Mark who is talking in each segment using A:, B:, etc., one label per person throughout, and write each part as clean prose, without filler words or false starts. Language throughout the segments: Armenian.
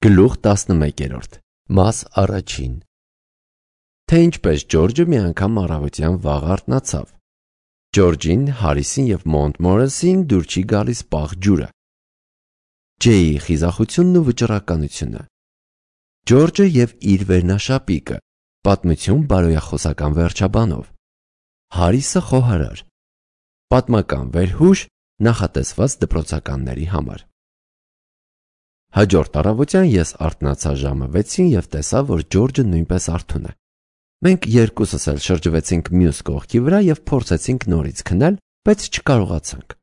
A: Գլուխ 11 Մաս առաջին Թե ինչպես Ջորջը մի անգամ առավոտյան վաղ արթնացավ։ Ջորջին, Հարիսին և Մոնտմորեսին դուր չի գալիս պաղ ջուրը։ Ջեյի խիզախությունն ու վճռականությունը։ Ջորջը և իր վերնաշապիկը, պատմություն բարոյախոսական վերջաբանով։ Հարիսը խոհարար։ Պատմական վերհուշ նախատեսված դպրոցականների համար։ Հաջորդ առավոտյան ես արթնացա ժամը 6-ին և տեսա, որ Ջորջը նույնպես արթուն է։ Մենք երկուսս էլ շրջվեցինք մյուս կողքի վրա և փորձեցինք նորից քնել, բայց չկարողացանք։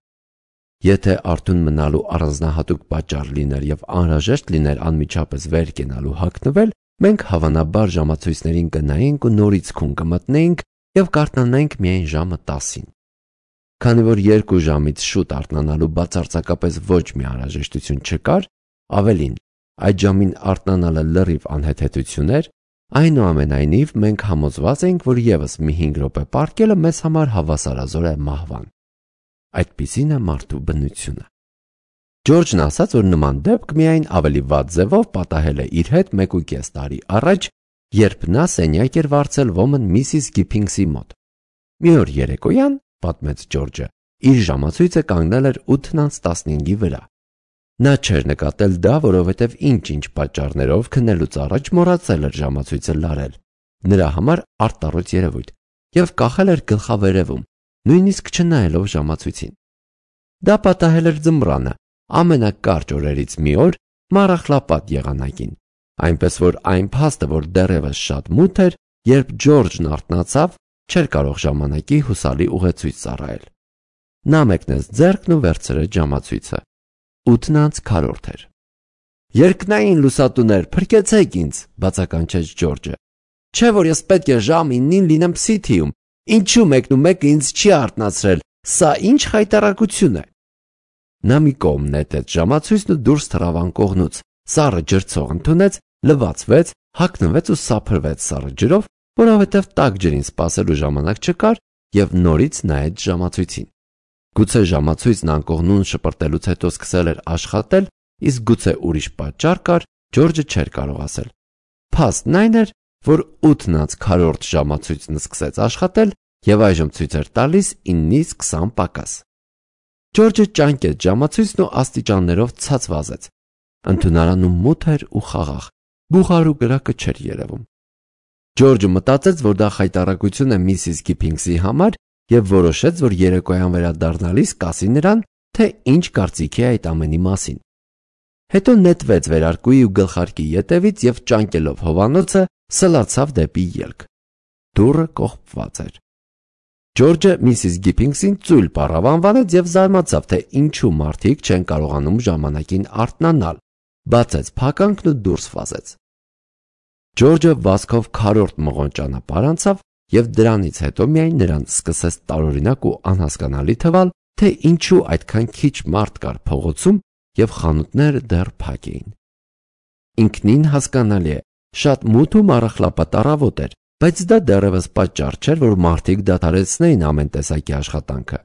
A: Եթե արթուն մնալու առանձնահատուկ պատճառ լիներ և անհրաժեշտ լիներ անմիջապես վեր կենալ ու հագնվել, մենք հավանաբար ժամացույցներին կնայեինք ու նորից քուն կմտնեինք և կարթնանայինք միայն ժամը 10-ին։ Քանի որ 2 ժամից շուտ արթնանալու բացարձակապես ոչ մի անհրաժեշտություն չկար, ավելին, այդ ժամին արթնանալը լրիվ անհեթեթություն էր, այնուամենայնիվ մենք համոզված էինք, որ ևս մի 5 րոպե պառկելը մեզ համար հավասարազոր է մահվան։ Այդպիսին է մարդու բնությունը։ Ջորջն ասաց, որ նման դեպք միայն ավելի վատ ձևով պատահել է իր հետ 1.5 տարի առաջ, երբ նա սենյակ էր վարձել ոմն Միսիս Գիփինգսի մոտ։ Մի օր երեկոյան, պատմեց Ջորջը, իր ժամացույցը կանգնել էր 8:15-ի վրա։ Նա չէր նկատել դա, որովհետև ինչ-ինչ պատճառներով քնելուց առաջ մոռացել էր ժամացույցը լարել, նրա համար արտառոց երևույթ, և կախել էր գլխավերևում, նույնիսկ չնայելով ժամացույցին։ Դա պատահել էր ձմռանը, ամենակարճ օրերից մի օր, մառախլապատ եղանակին, այնպես որ այն փաստը, որ դեռևս շատ մութ էր, երբ Ջորջն արթնացավ, չէր կարող ժամանակի հուսալի ուղեցույց ծառայել։ Նա մեկնեց ձեռքն ու վերցրեց ժամացույցը։ 8:40 էր։ Երկնային լուսատուներ, փրկեցեք ինձ, բացականչեց Ջորջը։ Չէ՞ որ ես պետք է ժամ 9-ին լինեմ Սիթիում, ինչու մեկն ու մեկը ինձ չի արթնացրել, սա ինչ խայտառակություն է։ Նա մի կողմ նետեց ժամացույցն ու դուրս թռավ անկողնուց, սառը ջրցող ընդունեց, լվացվեց, հագնվեց ու սափրվեց սառը ջրով, որովհետև տաք ջրին սպասելու ժամանակ չկար, և նորից նայեց ժամացույցին։ Գուցե ժամացույցն անկողնուն շպրտելուց հետո սկսել էր աշխատել, իսկ գուցե ուրիշ պատճառ կար, Ջորջը չէր կարող ասել։ Փաստն այն էր, որ 8:40 ժամացույցն սկսեց աշխատել և այժմ ցույց էր տալիս 9-ից 20 պակաս։ Ջորջը ճանկեց ժամացույցն ու աստիճաններով ցած վազեց։ Ընդունարանում մութ էր ու խաղաղ, բուխար ու կրակը չէր երևում։ Ջորջը մտածեց, որ դա խայտառակություն է Միսիս Գիփինգսի համար և որոշեց, որ երեկոյան վերադառնալիս կասի նրան, թե ինչ կարծիքի է այդ ամենի մասին։ Հետո նետվեց վերարկուի ու գլխարկի ետևից և ճանկելով հովանոցը սլացավ դեպի ելք։ Դուռը կողպված էր։ Ջորջը Միսիս Գիփինգսին ծույլ պառավ անվանեց և զարմացավ, թե ինչու մարդիկ չեն կարողանում ժամանակին արթնանալ, բացեց փականքն ու դուրս վազեց։ Ջորջը վազքով քառորդ մղոն ճանապարհ անցավ և դրանից հետո միայն նրան սկսեց տարօրինակ ու անհասկանալի թվալ, թե ինչու այդքան քիչ մարդ կար փողոցում և խանութները դեռ փակ էին։ Ինքնին հասկանալի է, շատ մութ ու մառախլապատ առավոտ էր, բայց դա դեռևս պատճառ չէր, որ մարդիկ դադարեցնեին ամեն տեսակի աշխատանքը։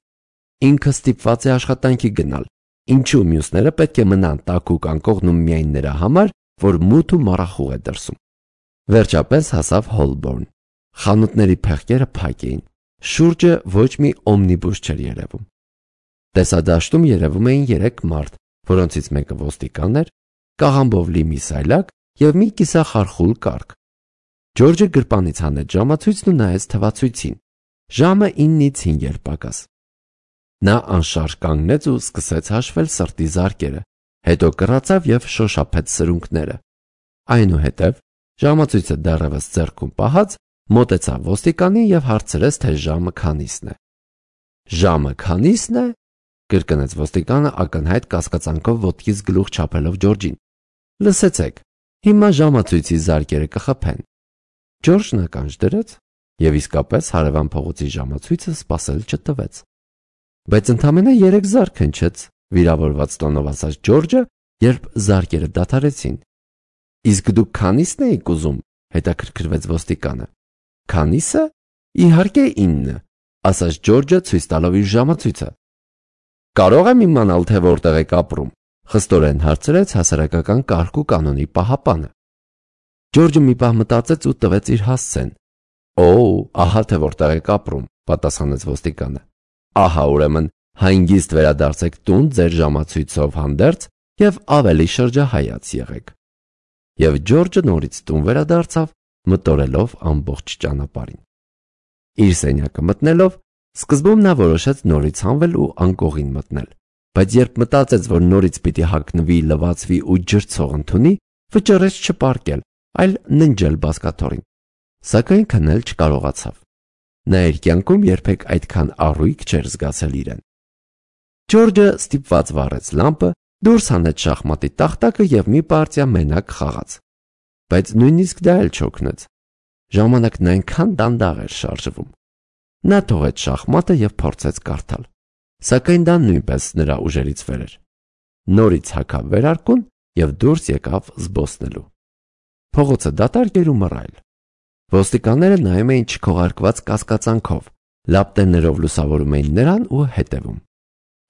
A: Ինքը ստիպված է աշխատանքի գնալ, ինչու մյուսները պետք է մնան տաքուկ անկողնում միայն նրա համար, որ մութ ու մառախուղ է դրսում։ Վերջապես հասավ Հոլբորն։ Խանութների փեղկերը փակ էին։ Շուրջը ոչ մի օմնիբուս չէր երևում։ Տեսադաշտում երևում էին 3 մարդ, որոնցից մեկը ոստիկան էր, կաղամբով լի մի սայլակ և մի կիսախարխուլ կառք։ Ջորջը գրպանից հանեց ժամացույցն ու նայեց թվացույցին։ Ժամը 9-ից 5 էր պակաս։ Նա անշարժ կանգնեց ու սկսեց հաշվել սրտի զարկերը, հետո կռացավ և շոշափեց սրունքները։ Այնուհետև, ժամացույցը դեռևս ձեռքում պահած, մոտեցավ ոստիկանին և հարցրեց, թե ժամը քանիսն է։ Ժամը քանիսն է, կրկնեց ոստիկանը ակնհայտ կասկածանքով ոտքից գլուխ չափելով Ջորջին։ Լսեցեք, հիմա ժամացույցի զարկերը կխփեն։ Ջորջն ականջ դրեց և իսկապես հարևան փողոցի ժամացույցը սպասել չտվեց։ Բայց ընդամենը 3 զարկ հնչեց, վիրավորված տոնով ասաց Ջորջը, երբ զարկերը դադարեցին։ Իսկ դուք քանիսն էիք ուզում, հետաքրքրվեց ոստիկանը։ Քանիսը։ Իհարկե 9, ասաց Ջորջը ցույց տալով իր ժամացույցը։ Կարող եմ իմանալ, թե որտեղ եք ապրում։ խստորեն հարցրեց հասարակական կարգ ու կանոնի պահապանը։ Ջորջը մի պահ մտածեց ու տվեց իր հասցեն։ Ահա թե որտեղ եք ապրում, պատասխանեց ոստիկանը։ Ահա ուրեմն հանգիստ վերադարձեք տուն ձեր ժամացույցով հանդերձ եւ ավելի շրջահայաց եղեք։ Եվ Ջորջը նորից տուն վերադարձավ, մտորելով ամբողջ ճանապարհին։ Իր սենյակը մտնելով, սկզբում նա որոշեց նորից հանվել ու անկողին մտնել, բայց երբ մտածեց, որ նորից պիտի հագնվի, լվացվի ու ջրցող ընդունի, վճռեց չպարկել, այլ ննջել բազկաթոռին, սակայն քնել չկարողացավ։ Նա իր կյանքում երբեք այդքան առույգ չէր զգացել իրեն։ Ջորջը ստիպված վառեց լամպը, դուրս հանեց շախմատի տախտակը եւ մի պարտիա մենակ խաղաց, բայց նույնիսկ դա էլ չօգնեց։ Ժամանակն այնքան դանդաղ էր շարժվում։ Նա թողեց շախմատը եւ փորձեց կարդալ, սակայն դա նույնպես նրա ուժերից վեր էր։ Նորից հագավ վերարկուն եւ դուրս եկավ զբոսնելու։ Փողոցը դատարկ էր ու մռայլ։ Ոստիկանները նայում էին չքողարկված կասկածանքով, լապտերներով լուսավորում էին նրան ու հետևում։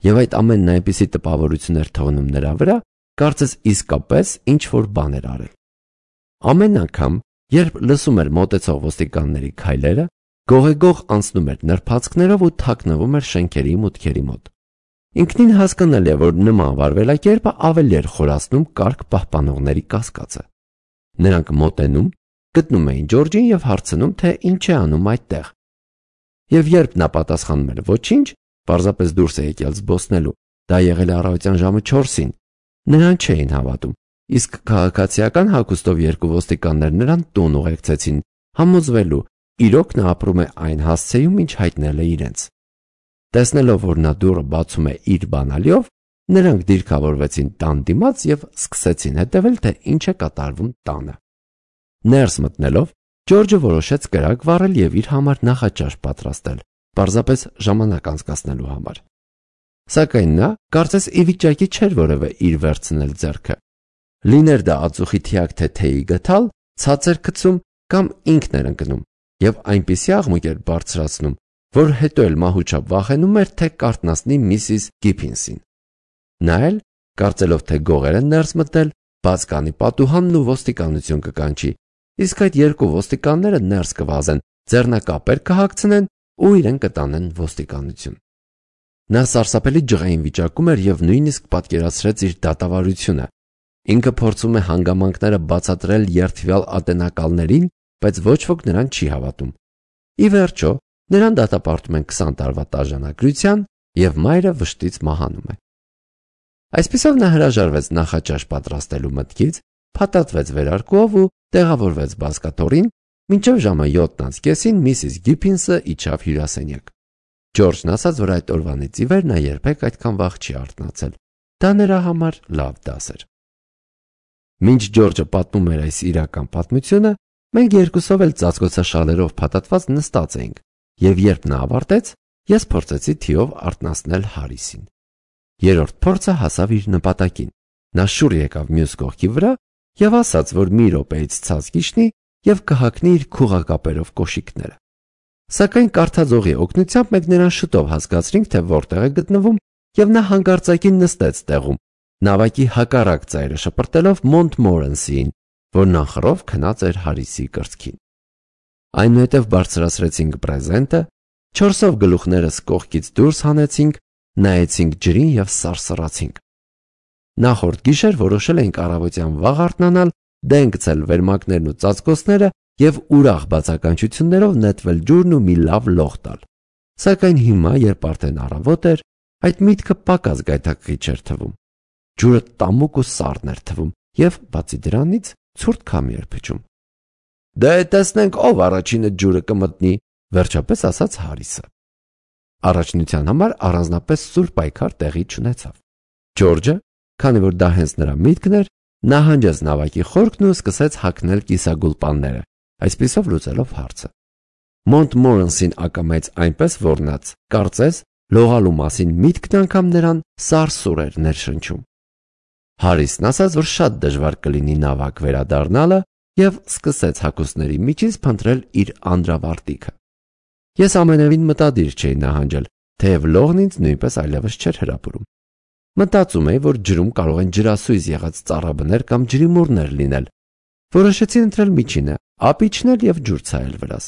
A: Եվ այդ ամենն այնպիսի տպավորություն էր թողնում նրա վրա, կարծես իսկապես ինչ-որ բան էր արել։ Ամեն անգամ, երբ լսում էր մոտեցող ոստիկանների քայլերը, գողեգող անցնում էր նրբացքներով ու թաքնվում էր շենքերի մուտքերի մոտ։ Ինքնին հասկանալի է, որ նման վարվելակերպը ավելի էր խորացնում կարգ պահպանողների կասկածը։ Նրանք մոտենում, գտնում էին Ջորջին եւ հարցնում, թե ինչ է անում այդտեղ։ Եվ երբ նա պատասխանում էր ոչինչ, պարզապես դուրս է եկել զբոսնելու, դա եղել է առավոտյան ժամը 4-ին, նրան չէին հավատում, իսկ քաղաքացիական հագուստով երկու ոստիկաններ նրան տուն ուղեկցեցին, համոզվելու, իրոք նա ապրում է այն հասցեում, ինչ հայտնել է իրենց։ Տեսնելով, որ նա դուռը բացում է իր բանալիով, նրանք դիրքավորվեցին տան դիմաց եւ սկսեցին հետևել, թե ինչ է կատարվում տանը։ Ներս մտնելով, Ջորջը որոշեց կրակ վառել եւ իր համար նախաճաշ պատրաստել, պարզապես ժամանակ անցկացնելու համար։ Սակայն նա կարծես ի վիճակի չէր որևէ իր վերցնել ձեռքը։ Լիներ դա ածուխի թիակ թե թեյի գթալ, ցածր գցում կամ ինքն էր ընկնում եւ այնպիսի աղմուկ էր բարձրացնում, որ հետո էլ մահուճապ վախենում էր, թե կարտնասնի Միսիս Գիփինսին։ Նա էլ, կարծելով, թե գողեր են ներս մտնել, բաց կանի պատուհանն ու ոստիկանություն կկանչի, իսկ այդ երկու ոստիկանները ներս կվազեն, ձեռնակապեր կհագցնեն ու իրեն կտանեն ոստիկանություն։ Նա սարսափելի ջղային վիճակում էր եւ նույնիսկ պատկերացրեց իր դատավարությունը։ Ինքը փորձում է հանգամանքները բացատրել երդվյալ ատենակալներին, բայց ոչ ոք նրան չի հավատում։ Ի վերջո, նրան դատապարտում են 20 տարվա տաժանագրության եւ մայրը վշտից մահանում է։ Այսպիսով նա հրաժարվեց նախաճաշ պատրաստելու մտքից, փաթաթվեց վերարկուով ու տեղավորվեց բազկաթոռին, մինչև ժամը 7:30 Միսիս Գիփինսը իջավ հյուրասենյակ։ Ջորջն ասաց, որ այդ օրվանից ի վեր նա երբեք այդքան վաղ չի արթնացել։ Դա նրա համար լավ դաս էր։ Մինչ Ջորջը պատմում էր այս իրական պատմությունը, մենք երկուսով էլ ծածկոցաշալերով փաթաթված նստած էինք, եւ երբ նա ավարտեց, ես փորձեցի թիով արթնացնել Հարիսին։ Երրորդ փորձը հասավ իր նպատակին։ Նա շուռ եկավ մյուս կողքի վրա եւ ասաց, որ մի րոպեից ցած կիջնի եւ կհակնի իր քուղակապերով կոշիկները։ Սակայն կարդաձողի օգնությամբ մենք նրան շուտով հասկացրինք, թե որտեղ է գտնվում, եւ նա հանկարծակի նստեց տեղում, նավակի հակառակ ծայրը շպրտելով Մոնտմորենսիին, որ նախռով քնած էր Հարիսի կրծքին։ Այնուհետև բարձրացրեցինք պրեզենտը, 4-ով գլուխներս կողքից դուրս հանեցինք, նայեցինք ջրին եւ սարսռացինք։ Նախորդ գիշեր որոշել էինք առավոտյան վաղ արթնանալ, դեն գցել վերմակներն ու ծածկոցները եւ ուրախ բացականչություններով նետվել ջուրն ու մի լավ լող տալ։ Սակայն հիմա, երբ արդեն առավոտ էր, այդ միտքը պակաս գայթակղի չէր թվում։ Ջուրը տամուկ ու սառն էր թվում եւ բացի դրանից ցուրտ քամի էր փչում։ Դե տեսնենք ով առաջինը ջուրը կմտնի, վերջապես ասաց Հարիսը։ Առաջնության համար առանձնապես սուր պայքար տեղի չունեցավ։ Ջորջը, քանի որ դա հենց նրա միտքն էր, նահանջեց նավակի խորքն ու սկսեց հագնել կիսագուլպանները, այսպիսով լուծելով հարցը։ Մոնտմորենսին ակամայեց այնպես, որ նա կարծես լողալու մասին միտքն անգամ նրան սարսուռ էր ներշնչում։ Հարիսն ասաց, որ շատ դժվար կլինի նավակ վերադառնալը եւ սկսեց հագուստների միջից փնտրել իր անդրավարտիքը։ Ես ամենևին մտադիր չէի նահանջել, թեև լողն ինձ նույնպես այլևս չէր հրապուրում։ Մտածում էի, որ ջրում կարող են ջրասույզ եղած ծառաբներ կամ ջրիմուռներ լինել։ Որոշեցի ընտրել միջինը, ափ իջնել և ջուր ցայել վրաս։